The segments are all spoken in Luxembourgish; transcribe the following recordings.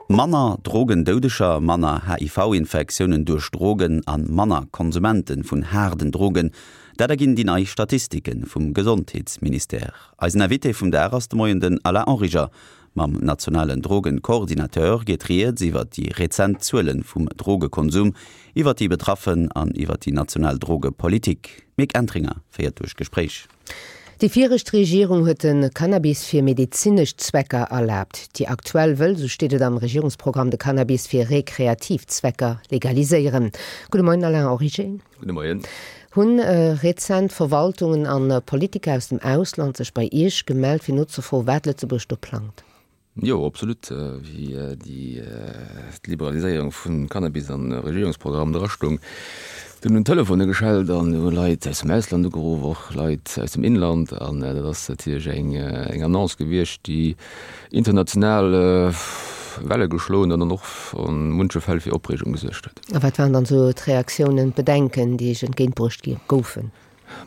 Manner Drogendoudeger, manner HIV-Infektiounen duerch Drogen a manner Konsumente vun haarden Drogen, dat erginn déi nei Statistike vum Gesondheetsministère. Eisen Invité vum Dag ass de Moien den Alain Origer. Mam nationalen Drogencoordinateur geet rieds iwwer déi rezent Zuele vum Drogekonsum, iwwer déi Betraffen an iwwer déi national Drogepolitik. D'Mick Entringer féiert duerch d'Gespréich. Déi viregt Regierung huet de Cannabis fir medezinesch Zwecker erlaabt. Déi aktuell wëll, sou steet et am Regierungsprogramm, de Cannabis fir rekreativ Zwecker legaliséieren. Gudde Moien Alain Origer. Gudde Moien. Hunn rezent Verwaltungen an Politiker aus dem Ausland sech bei Iech gemellt, fir nozefroen, wat Lëtzebuerg do plangt? Jo, absolut. Wéi déi d'Liberaliséierung vum Cannabis am Regierungsprogramm drastoung, dunn hunn d'Telefone geschellt an hu Leit aus dem Ausland ugeruff, och Leit aus dem Inland. An dat ass natierlech eng eng Annonce gewiescht, déi international Welle geschloen huet an och a munche Fäll fir Opreegung gesuergt huet. A wat waren dann esou d'Reaktiounen, d'Bedenken, déi Iech entgéintbruecht gi goufen?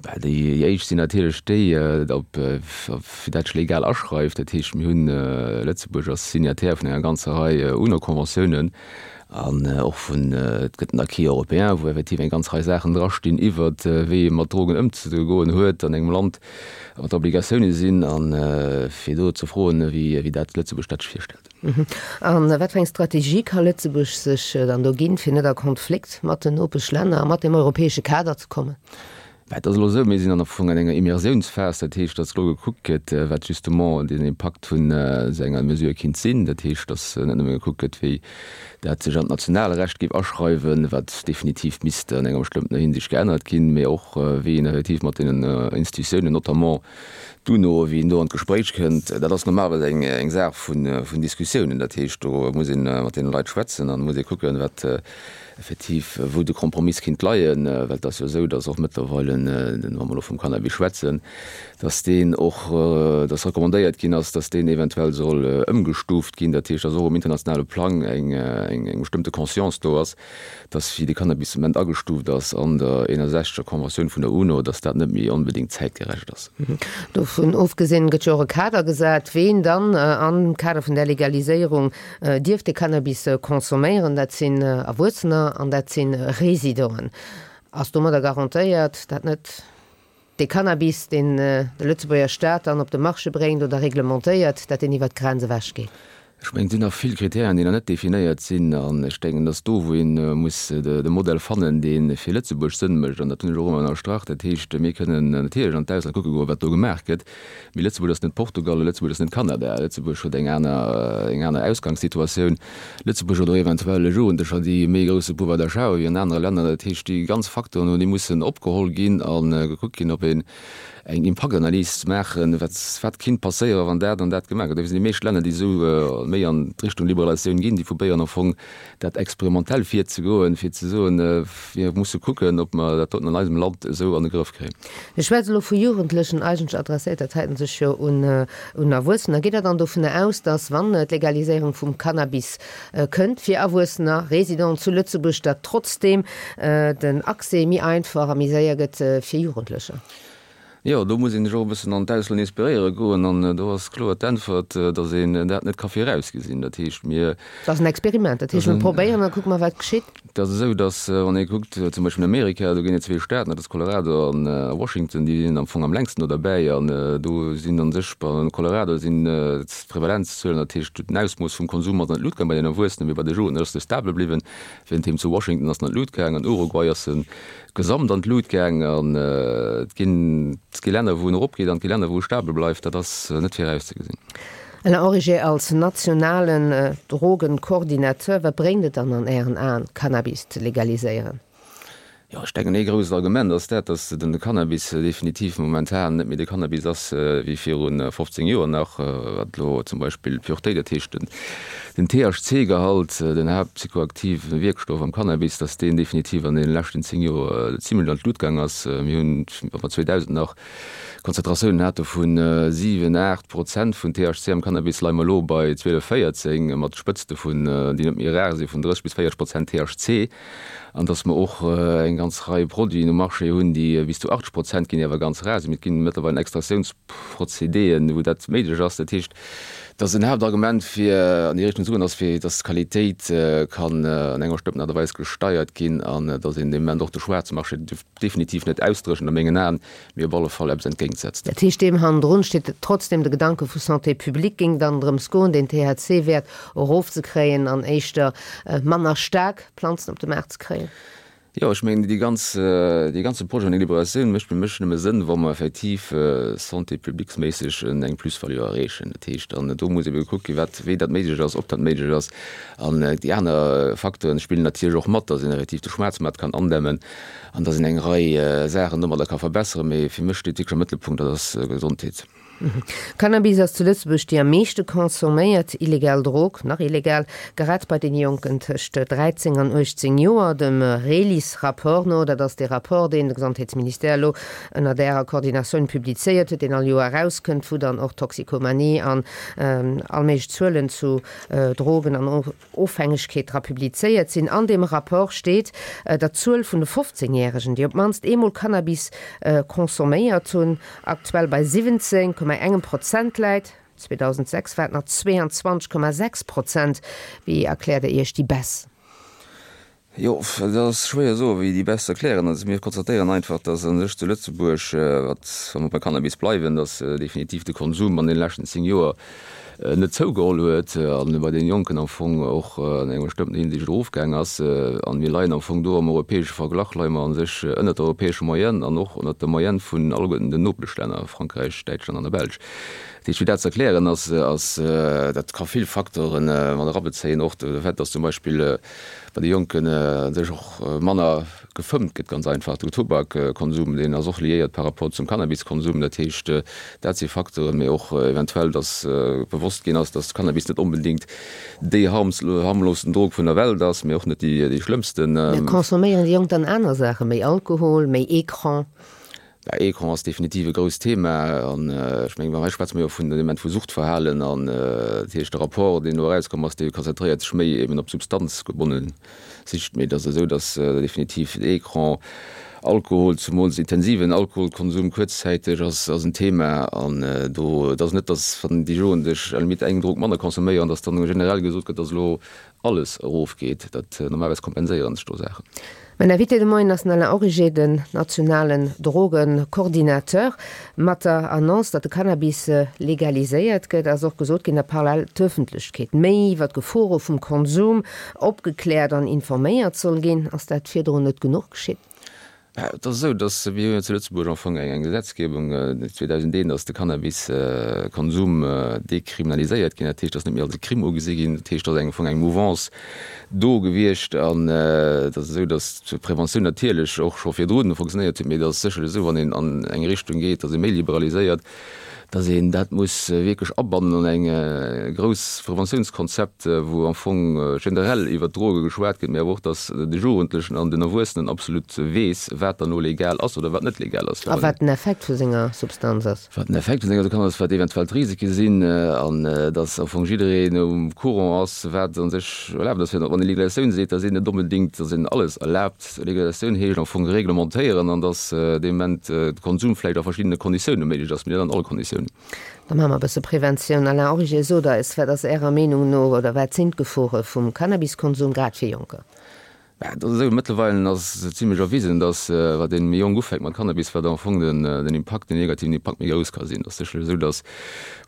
Bah, déi éischt sinn natierlech déi, ob fir dat sech legal aschreift. Dat heescht, mir hunn, Lëtzebuerg ass Signataire vun enger ganzer Rei UNO-Conventiounen an och vun, et gëtt en Acquis européen, wou effektiv eng ganz Rei Saachen drastinn iwwert wéi ee mat Drogen ëmzegoen huet an engem Land, wat d'Obligatioune sinn, a fir do ze froen, wéi dat Lëtzebuerg dat sech virstellt. A wat fir eng Strategie ka Lëtzebuerg sech dann do ginn, fir net a Konflikt mat den Nopeschlänner a mat dem europäesche Kader ze kommen? Bah, et ass elo esou, mir sinn am Fong an enger Immersiounsphas, dat heescht, datt elo gekuckt gëtt, wat justement den Impakt vun esou enger Mesure kinnt sinn. Dat heescht, datt net nëmme gekuckt gëtt, wéi dat sech an d'nationale Recht géif aschreiwen, wat definitiv misst an enger bestëmmtener Hinsicht geännert ginn, mee och wéi een effektiv mat deenen Institutiounen, notamment D'UNO, wéi een do an d'Gespréich kënnt, dat ass normalerweis eng eng Saach vun vun Diskussiounen. Dat heescht, do muss ee mat deene Leit schwätzen an muss ee kucken, wat effektiv, wou de Kompromiss kinnt leien. Well et ass jo esou, datt och mëttlerweile, wa mer elo vum Cannabis schwätzen, datt deen och, datt recommandéiert ginn ass, datt deen eventuell soll ëmgestuuft ginn. Dat heescht, datt och um internationale Plang eng eng eng bestëmmte Conscience do ass, dass wéi de Cannabis de Moment agestuuft ass an der 61. Conventioun vun der UNO, dass dat net méi onbedéngt zäitgerecht ass. Dovun ofgesinn gëtt jo och e Kader gesat, ween dann am Kader vun där Legaliséierung dierf de Cannabis consomméieren. Dat sinn Erwuessener an dat si Residenten. Ass domadder garantéiert, dat net dee Cannabis, deen de Lëtzebuerger Staat dann op de Marché bréngt oder reglementéiert, dat deen iwwert d'Grenz ewech geet? Ech mengen, et sinn nach vill Kritären, déi nach net definéiert sinn. An ech denken, dass do, wou ee muss de Modell fannen, dee fir Lëtzebuerg Sënn mécht, an dat hunn ech och ëmmer ënnerstrach, dat heescht, mir kënnen natierlech an d'Ausland kucke goen, wat do gemaach gëtt, mee Lëtzebuerg ass net Portugal a Lëtzebuerg ass net Kanada. Lëtzebuerg huet eng aner, eng aner Ausgangssituatioun. Lëtzebuerg huet och eventuell Jugendlecher, déi e méi grousse Pouvoir d'achat hu wéi an anere Länner. Dat heescht, déi ganz Facteuren, déi mussen opgeholl ginn a gekuckt ginn, ob een eng Impaktanalys ze maachen, wat wat kinnt passéieren, wann dat an dat gemaach gëtt. Dofir sinn déi meescht Länner, déi esou méi an d'Richtung Liberalisatioun ginn, déi probéieren am Fong dat experimentell virzegoen, fir ze soen, mir musse kucken, ob mer dat doten an eisem Land esou an de Grëff kréien. Ech schwätze elo vu Jugendlechen, eigentlech adresséiert dat heiten sech jo un un Erwuessener. Geet Der dann dovunner aus, datt, wann d'Legaliséierung vum Cannabis kënnt fir Erwuessener, Résidenten zu Lëtzebuerg, datt trotzdeem den Accès méi einfach a méi séier gëtt fir Jugendlecher? Jo, do muss een sech och e bëssen an d'Ausland inspiréiere goen. An do ass kloer d'Äntwert, datt een dat net ka virausgesinn. Dat heescht, mir. Dat ass en Experiment. Dat heescht, mir probéieren a kucke mer, wat geschitt. Et ass esou, datt, wann ee kuckt, zum Beispill an Amerika, do ginn et zwee Staaten, dat ass Colorado an Washington, déi sinn am Fong am längsten do derbäi. An do sinn a sech, an Colorado sinn d'Prevalenzzuelen, dat heescht den Ausmooss vum Konsum ass an d'Lut gaang bei den Erwuessenen, mee bei de Jugendlechen ass se stable bliwwen. Wärenddeem zu Washington ass en an d'Lut gaang, an Uruguay ass en gesamt an d'Lut gaang. An et ginn, et gi Länner, wou en eropgeet an et gi Länner, wou e stabel bleift. Dat ass net virauszegesinn. Alain Origer, als nationalen Drogencoordinateur, wat bréngt et dann an Ären Aen, Cannabis ze legaliséieren? Jo, ech denken, ee grousst Argument ass dat, datt den Cannabis definitiv momentan net méi de Cannabis ass wéi viru 15 Joer nach, wat elo zum Beispill d'Puretéit, dat heescht den THC-Gehalt, den haaptpsychoaktive Wierkstoff am Cannabis, datt deen definitiv an deene leschten 10 Joer zimlech an d'Lut gaang ass. Mir hunn, wa mer 2000 nach Konzentratiounen hate vu 7, 8 Prozent vun THC am Cannabis, leie mer elo bei 12, 14, mat Spëtzte vun, déi net méi rar sinn, vun 30 bis 40 Prozent THC. An dass mer och eng ganz Rei Produiten um Marché hunn, déi bis zu 80 Prozent ginn, déi awer ganz rar sinn. Mee et ginn mëttlerweil Extraktiounsprozedéen, wou dat méiglech ass. Dat heescht, Dass en Haaptargument fir an déi Richtung ze goen ass, fir dass d'Qualitéit kann an enger bestëmmten Aart a Weis gesteiert ginn an dass een dee Moment och de Schwaarzmarché definitiv net ausdréchent a mengen Aen, mee op alle Fall eppes entgéintsetzt. Dat heescht, deem hannendrun steet trotzdem de Gedanke vu Santé publique, géing dann drëms goen, den THC-Wäert erofzekréien an éischter manner staark Planzen op de Maart ze kréien? Jo, ech mengen, déi ganz, dee ganze Projet vun der Liberalisatioun mécht fir mech nëmme Sënn, wa mer effektiv santé publique-méisseg eng Plus-value erreechen. Dat heescht, an do muss ebe gekuckt ginn, wat, wéi dat méiglech ass, ob dat méiglech ass. An déi aner Facteuren spillen natierlech och mat, dass een effektiv de Schwaarzmaart kann andämmen an dass een eng Rei Saachen domadder ka verbesseren. Mee fir mech steet wierklech am Mëttelpunkt, dat ass Gesondheet. Cannabis ass zu Lëtzebuerg déi am meeschte consomméiert illegal Drog, nach illegal, grad bei den Jonken tëscht 13 an 18 Joer. Dem RELIS-Rapport no, dat ass dee Rapport, deen de Gesondheetsministère elo ënnert Ärer Koordinatioun publizéiert huet, deen all Joer erauskënnt, wou dann och Toxikomanie an all méiglech Zuelen zu Drogen an Ofhängegkeet dra publizéiert sinn. An deem Rapport steet, datt d'Zuel vun de 15 Järegen, déi op d'mannst eemol Cannabis consomméiert hunn, aktuell bei 17,engem Prozent läit. 2006 war et nach 22,6 Prozent. Wéi erkläert Der Iech déi Baisse? Jo, dat ass schwéier soen, wéi déi best erklären. Also mir konstatéieren einfach, datt a sech zu Lëtzebuerg, wat, wa mer bei Cannabis bleiwen, datt definitiv de Konsum an deene leschten 10 Joer net zougeholl huet a bei deene Jonken am Fong och an enger bestëmmten Hinsicht erofgaang ass. A mir leien am Fong do am europäesche Verglach leie mer a sech ënnert der europäescher Moyenne an och ënnert der Moyenne vun alleguerten den Nopeschlänner, Frankräich, Däitschland an der Belsch. Dat heescht, fir dat ze erklären ass, ass dat ka vill Facteuren mat erabezéien, och de Fait, datt zum Beispill bei de Jonken u sech och manner gefëmmt gëtt, ganz einfach. Den Tubakkonsum, deen ass och liéiert par rapport zum Cannabiskonsum. Dat heescht, dat si Facteuren, mee och eventuell, datt bewosst ginn ass, datt Cannabis net onbedéngt déi harmlosten Drog vun der Welt ass, mee och net déi schlëmmsten. Mä consomméieren déi Jonk dann aner Saachen, méi Alkohol, méi Ecran? Bah, Ecran ass definitiv e grousst Thema an ech mengen, hei schwätze mer jo vun dem Moment vu Suchtverhalen an dat heescht, de Rapport, deen elo erauskomm ass, dee konzentréiert sech méi eben op substanzgebonne Sicht, mee et ass esou, datt definitiv Ecran, Alkohol, zumools intensiven Alkoholkonsum kuerzzäiteg ass ass en Thema an do, et ass net, datt wann déi Jugendlech à la limite eng Drog manner consomméieren, datt dann generell gesot gëtt, datt elo alles erofgeet, dat normalerweis kompenséieren sech do Saachen. Mäin Invité de Moien ass den Alain Origer, den nationalen Drogencoordinateur. Mat der Annonce, datt de Cannabis legaliséiert gëtt, ass och gesot ginn, datt parallel d'Ëffentlechkeet méi iwwer d'Gefore vum Konsum opgekläert an informéiert soll ginn. Ass dat virdrun net genuch geschitt? Et ass esou, datt mir hu jo zu Lëtzebuerg am Fong eng Gesetzgebung, 2001 ass de Cannabiskonsum dekriminaliséiert ginn, dat heescht, ass net méi als e Crime ugesi ginn. Dat heescht, et ass am Fong eng Mouvance do gewiescht an et ass esou, datt d'Preventioun natierlech och scho virdru fonctionnéiert huet, mee et ass sécherlech esou, wann een an eng Richtung geet, datt ee méi liberaliséiert, dass een dat muss wierklech abannen an eng grouss Preventiounskonzept, wou am Fong generell iwwert d'Droge geschwat gëtt, mee awer och, dass de Jugendlechen an den Erwuessenen absolut weess, wat dann elo legal ass oder wat net legal ass. A wat den Effekt vu senger Substanz ass. Wat den Effekt vu senger Substanz ass, wat eventuell d'Risike sinn an dass am Fong jiddereen um Courant ass, wat a sech erlaabt ass. Wann ee Legalisatioun seet, da seet een net onbedéngt, dass een alles erlaabt. Legalisatioun heescht am Fong reglementéieren an dass dee Moment de Konsum vläicht a verschiddene Konditioune méiglech ass, mee net an alle Konditiounen. Da maache mer e bësse Preventioun. Alain Origer, sot eis, wat ass Ärer Meenung no oder wat sinn d'Gefore vum Cannabiskonsum, grad fir Jonker? Bah, et ass esou, mëttlerweilen ass et zimlech erwisen, dass wat ee méi jonk ufänkt mat Cannabis, wat am Fong den den Impakt, den negativen Impakt méi grouss ka sinn. Et ass sécherlech esou, dass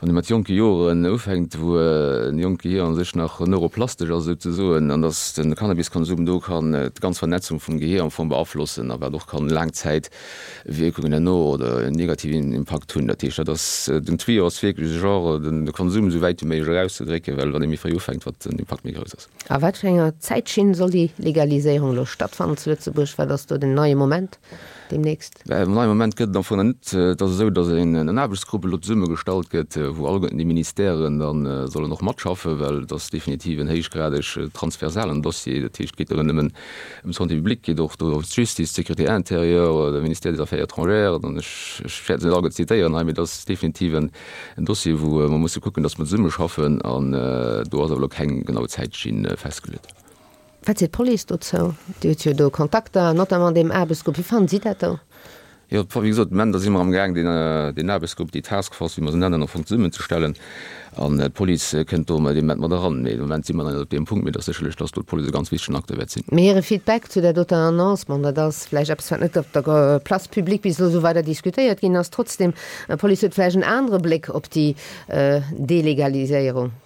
wann ee mat jonke Joren ufänkt, wou en jonkt Gehier a sech nach neuroplastesch ass souzesoen, an dass de Cannabiskonsum do kann d'ganz Vernetzung vum Gehier am Fong beaflossen a wat och kann Laangzäitwierkungen herno oder en negativen Impakt hunn. Dat heescht, dat ass den Tuyau ass wierklech e Genre, de Konsum esou wäit wéi méiglech erauszedrécken, well wann ee méi fréi ufänkt, wat den Impakt méi grouss ass. A wat fir enger Zäitschinn soll déi Legaliséierung elo stattfannen zu Lëtzebuerg? Wat ass do den neie Moment deemnächst? Den neie Moment gëtt et am Fong nach net. Et ass esou, datt en Aarbechtsgrupp elo zesummegestallt gëtt, wou alleguerten déi Ministèren da sollen och matschaffen, well et ass definitiv en héichgradeg transversalen Dossier. Dat heescht, et geet jo net nëmmen ëm d'Santé publique, et geet och do ëm d'Justice, d'Sécurité intérieure, de Ministère des Affaires étrangères. An ech wäert se net alleguerten zitéieren hei, mee et ass definitiv en En Dossier, wou mer musse kucken, dass mer zesummeschaffen, an do ass awer elo keng genau Zäitschinn festgeluet. Wat seet d'Police dozou? Dir hutt jo do Kontakter, notamment deem Aarbechtsgrupp. Wéi fannen si dat do? Jo, wéi gesot, de Moment si mer amgaang, deen Aarbechtsgrupp, déi Task Force, wéi mer se nennen, am Fong zesummenzestellen. An d'Police kënnt do dee Moment mat eran. Mee de Moment si mer nach net op deem Punkt. Mee et ass sécherlech, dass do d'Police e ganz wichtegen Acteur wäert sinn. Mee hire Feedback zu där doter Annonce, bon, dat ass vläicht eppes, wat net op der Place publique bis elo esou weider diskutéiert ginn ass. Trotzdem, d'Police huet vläicht en anere Bléck op déi Delegaliséierung.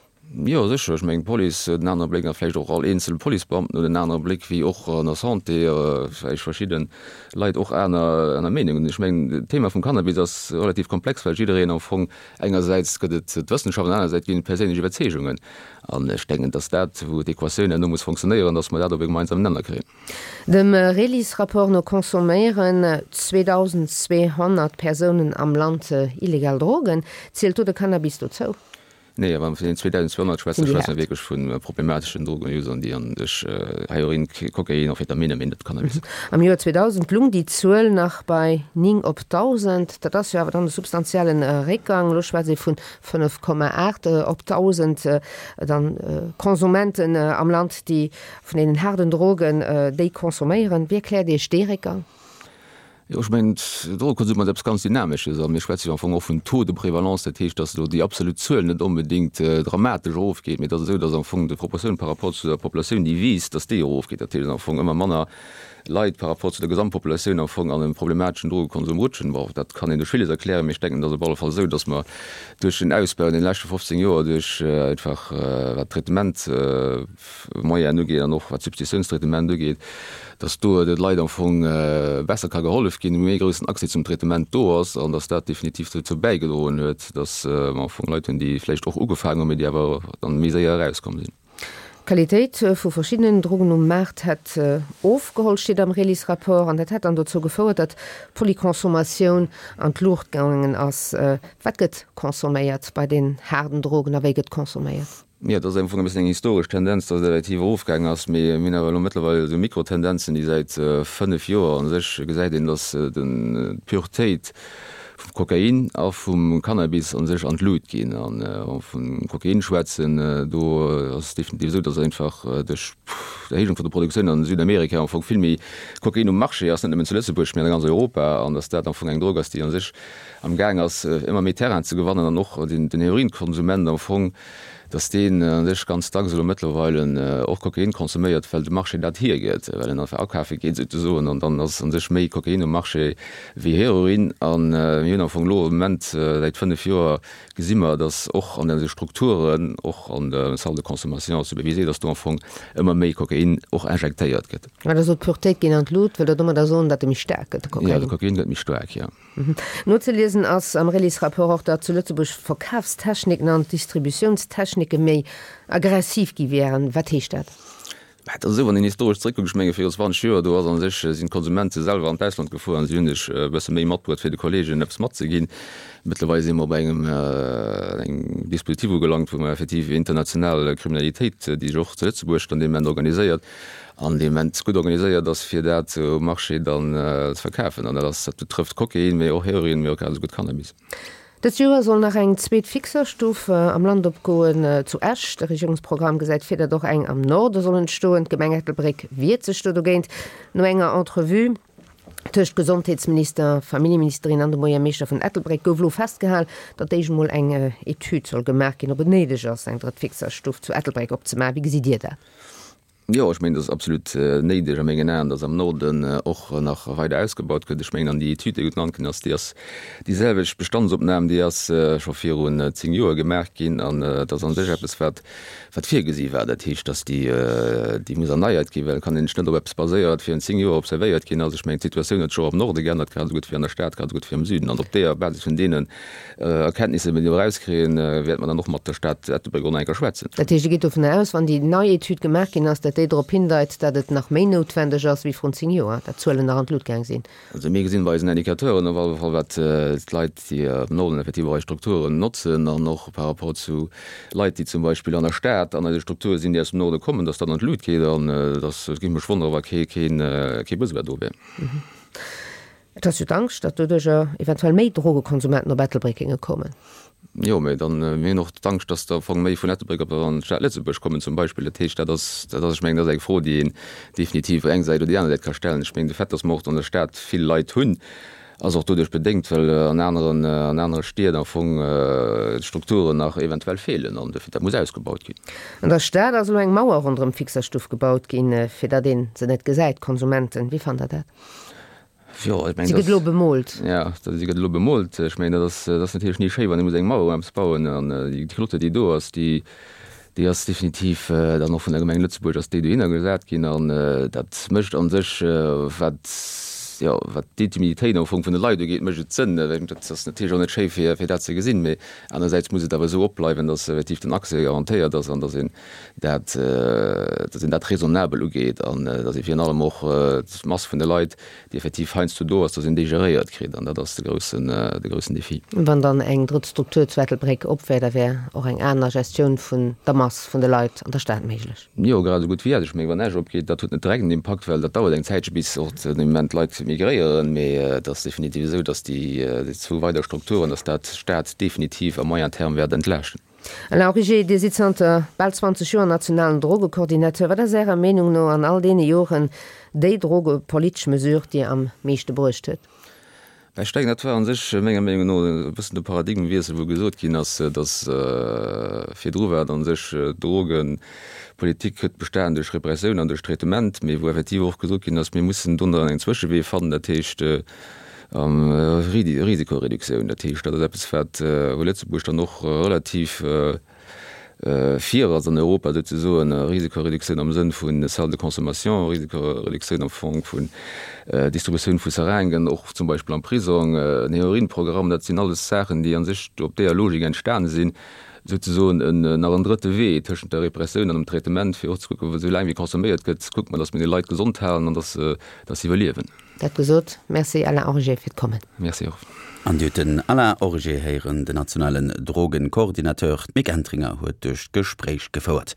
Jo, sécher. Ech mengen, d'Police huet en anere Bléck a vläicht och all eenzel Policebeamten huet en anere Bléck, wéi och an der Santé vläicht verschidde Leit och aner, aner Meenungen hunn. Ech mengen, d'Thema vum Cannabis ass relativ komplex, well jiddereen am Fong, engersäits gëtt et d'Wëssenschaft an anerersäits ginn et perséinlech Iwwerzeegungen. An ech denken, dass dat, wou d'Equatioun herno muss fonctionnéieren, dass mer dat op e gemeinsamen Nenner kréien. Dem Relis-Rapport no consomméieren 2.200 Persounen am Land illegal Drogen. Zielt do de Cannabis dozou? Nee, a wa mer vun den 2.200 schwätzen, schwätze mer wierklech vu problemateschen Drogenusern, déi an sech Heroin, Kokain, Amphetamine, mee net Cannabis. Am Joer 2000 lung déi Zuel nach bei 9 op 1.000. Dat ass jo awer dann e substantiellen Réckgang. Elo schwätzt ee vun 5,8 op 1.000 dann Konsumenten am Land, déi vun deenen haarden Drogen déi consomméieren. Wéi erkläert Iech dee Réckgang? Jo, ech mengen, Drogekonsum ass eppes ganz Dynamesches a mir schwätze jo am Fong och vun Taux de prévalence, dat heescht, datt elo déi absolut Zuel net onbedéngt dramatesch erofgeet, mee et ass esou, datt am Fong d'Proportioun par rapport zu der Populatioun, déi wiisst, datt déi erofgeet. Dat heescht, datt am Fong ëmmer manner Leit par rapport zu der Gesamtpopulatioun am Fong an e problemateschen Drogekonsum rutschen. Bon, dat kann een duerch villes erklären, mee ech denken, et ass op alle Fall esou, datt mer duerch den Ausbau an deene leschte 15 Joer, duerch einfach wat d'Traitement, Moyenen ugeet an och wat d'Substitutiounstraitement ugeet, dass do de Leit am Fong besser ka gehollef ginn, méi groussen Accès zum Traitement do ass an dass dat definitiv dozou bäigedroen huet, dass mer am Fong Leit hunn, déi vläicht och ugefaangen hunn, mee déi awer dann méi séier erauskomm sinn. D'Qualitéit vu verschiddenen Drogen um Maart hätt ofgeholl, steet am Relis-Rapport, an dat hätt dann dozou gefouert, datt d'Polyconsommatioun an d'Luucht gaangen ass. Wat gëtt consomméiert bei den haarden Drogen a wéi gëtt consomméiert? Jo, et ass am Fong e bëssen eng historesch Tendenz, datt et effektiv erofgaang ass, mee mir hunn awer elo mëttlerweil esou Mikrotendenzen, déi säit 5 Joer a sech gesäit een, datt d'Puretéit vum Kokain a vum Cannabis a sech an d'Lut ginn. An wa mer vum Kokain schwätzen, do ass et definitiv esou, datt einfach duerch d'Erhéijung vun der Produktioun an Südamerika am Fong vill méi Kokain um Marché ass, net nëmmen zu Lëtzebuerg, mee an ganz Europa, an datt dat am Fong eng Drog ass, déi a sech am Gaang ass, ëmmer méi Terrain ze gewannen an och den Heroinkonsument am Fong, dass deen a sech ganz dacks elo mëttlerweile och Kokain consomméiert, well de Marché dat hiergëtt, well en einfach akafe geet souzesoen an dann ass a sech méi Kokain um Marché wéi Heroin. A mir hunn am Fong elo am Moment säit 5 Joer gesi mer, dass och an eise Strukturen, och an de Salles de consommation supervisées, dass do am Fong ëmmer méi Kokain och injektéiert gëtt. Mä Der sot, d'Puretéit geet an d'Lut. Wëllt Der domadder soen, datt e méi staark gëtt, de Kokain? Jo, de Kokain gëtt méi staark, jo. Nozeliesen ass am Relis-Rapport och, datt zu Lëtzebuerg d'Verkafstechniken an d'Distributiounstechnike méi aggressiv gi wären. Wat heescht dat? Mä et ass esou, wann een historesch zréckkuckt, ech menge viru 20 Joer, do ass a sech, sinn d'Konsumente selwer an d'Ausland gefuer an si hunn sech e bësse méi matbruet, fir de Kolleegen eppes matzeginn. Mëttlerweil si mer op engem engem Dispositif ugelangt, wou mer effektiv international Kriminalitéit, déi sech och zu Lëtzebuerg dann dee Moment organiséiert, an dee Moment gutt organiséiert ass, fir dat um Marché dann ze verkafen. An dat ass, dat betrëfft Kokain, mee och Heroin, mee och grad esou gutt Cannabis. Dëst Joer soll nach eng zweet Fixerstuff am Land opgoen, zu Esch. De Regierungsprogramm gesäit vir, datt och eng am Norde soll entstoen. D'Gemeng Ettelbréck wiert sech do dogéint. No enger Entrevue tëscht Gesondheetsminister, Familljeministerin an dem Buergermeeschter vun Ettelbréck gouf elo festgehal, datt éischt emol eng Etüd soll gemaach ginn, ob et néideg ass, eng drëtt Fixerstuff zu Ettelbréck opzemaachen. Wéi gesitt Dir dat? Jo, ech mengen, dat ass absolut néideg a mengen Aen, dass am Norden och nach weider ausgebaut gëtt. Ech mengen, an déi Etüd, déi genannt ginn ass, déi ass déi selwecht Bestandsopnam, déi ass scho virun 10 Joer gemaach ginn an dat ass a sech eppes, wat, wat virgesi war. Dat heescht, dass déi, déi muss erneiert ginn, well et kann een sech net op eppes baséieren, wat virun 10 Joer observéiert ginn ass. Ech mengen, d'Situatioun huet sech och am Norde geännert, grad esou gutt wéi an der Stad, grad esou gutt wéi am Süden. An op deeër Basis vun deenen Erkenntnisser, déi mir do erauskréien, wäerte mer dann och mat der Stad Ettelbréck och nach eng Kéier schwätzen. Dat heescht, Dir gitt dovun aus, wann déi nei Etüd gemaach ginn ass, datt déi drop hindeit, datt et nach méi noutwendeg ass wéi vrun 10 Joer, datt d'Zuelen nach an d'Lut gaang sinn? Also mir gesinn bei eisen Indicateuren op alle Fall, wat d'Leit, déi am Norden effektiv och eis Strukturen notzen an och par rapport zu Leit, déi zum Beispill an der Stad an eise Strukture sinn, déi aus dem Norde kommen, datt dat an d'Lut geet. An datt, et géif mech wonneren, wa kee Besoin do wär. Et ass jo d'Angscht, datt doduercher eventuell méi Drogekonsumenten op Ettelbréck géinge kommen. Jo, mä dann, mir hunn och d'Angscht, datt der am Fong méi vun Ettelbréck op an d'Stad Lëtzebuerg kommen zum Beispill. Dat heescht, dat ass, dat ass, ech mengen, dat ass eng Fro, déi een definitiv op eng Säit oder déi aner Säit ka stellen. Ech mengen, de Fait, datt mer och an der Stad vill Leit hunn. Ass och doduerch bedéngt, well an aneren, an anere Stied am Fong d'Strukturen nach eventuell feelen an dofir dat muss ausgebaut ginn. An der Stad ass elo eng Mauer ronderëm d'Fixerstuff gebaut ginn, fir datt ee se net gesäit. D'Konsumenten, wéi fannt Der dat? Jo, ech mengen, Si gëtt elo bemoolt. Jo, si gëtt elo bemoolt. Ech mengen, dat ass, dat ass natierlech ni schéi, wann ee muss eng Mauer ëm eppes bauen an déi Clotte, déi do ass, déi, Déi ass definitiv dann och vun der Gemeng Lëtzebuerg ass déi dohinner gesat ginn an dat mécht a sech, wat, jo, wat d'Intimitéit am Fong vun de Leit ugeet, mécht et Sënn. Dat ass natierlech och net schéi fir, fir dat ze gesinn, mee anerersäits muss et awer esou opbleiwen, datt effektiv den Accès garantéiert ass an datt een dat, datt een dat raisonnabel ugeet an datt ee virun allem och d'Mass vun de Leit, déi effektiv heiansdo do ass, dass een déi geréiert kritt an dat ass de groussen, de groussen Défi. Wann dann eng drëtt Struktur zu Ettelbréck op wär, da wär och eng aner Gestioun vun der Mass vun de Leit an der Stad méiglech. Jo, grad esou gutt wéi dat. Ech mengen, wann Esch opgeet, dat huet net direkt en Impakt, well dat dauert eng Zäitche bis och den Moment d'Leit migréieren, mee et ass definitiv esou, dass déi zwou weider Strukturen, dass dat d'Stad definitiv à moyen terme wäert entlaaschten. Alain Origer, Dir sidd zanter bal 20 Joer nationalen Drogecoordinateur. Wat ass Ärer Meenung no an all deene Joren déi drogepolitesch Mesure, déi am meeschte bruecht huet? Ech denken, dat war a sech menger Meenung no e bëssen de Paradigmewiessel, wou gesot ginn ass, datt virdru war et a sech d'Drogepolitik huet bestanen duerch Repressioun an duerch Traitement, mee wou effektiv och gesot ginn ass, mir mussen do nach en Zwëschewee fannen, dat heescht, Risikoreduktioun, dat heescht, dat ass eppes, wat, wou Lëtzebuerg dann och relativ vir ass an Europa souzesoen, Risikoreduktioun am Sënn vu Salles de consommation, Risikoreduktioun am Fong vun Distributioun vu Seringen, och zum Beispill am Prisong, en Heroinprogramm, dat sinn alles Saachen, déi a sech op deeër Logik entstane sinn, souzesoen en nach en drëtte Wee tëschent der Repressioun an dem Traitement, fir och ze kucken, esou laang wéi consomméiert gëtt, kuckt mer, datt mir déi Leit gesond halen an datt se, datt se iwwerliewen. Dat gesot, Merci Alain Origer fir d'Kommen. Merci och. An Dir hutt den Alain Origer héieren, den nationalen Drogencoordinateur. D'Mick Entringer huet duerch d'Gespréich gefouert.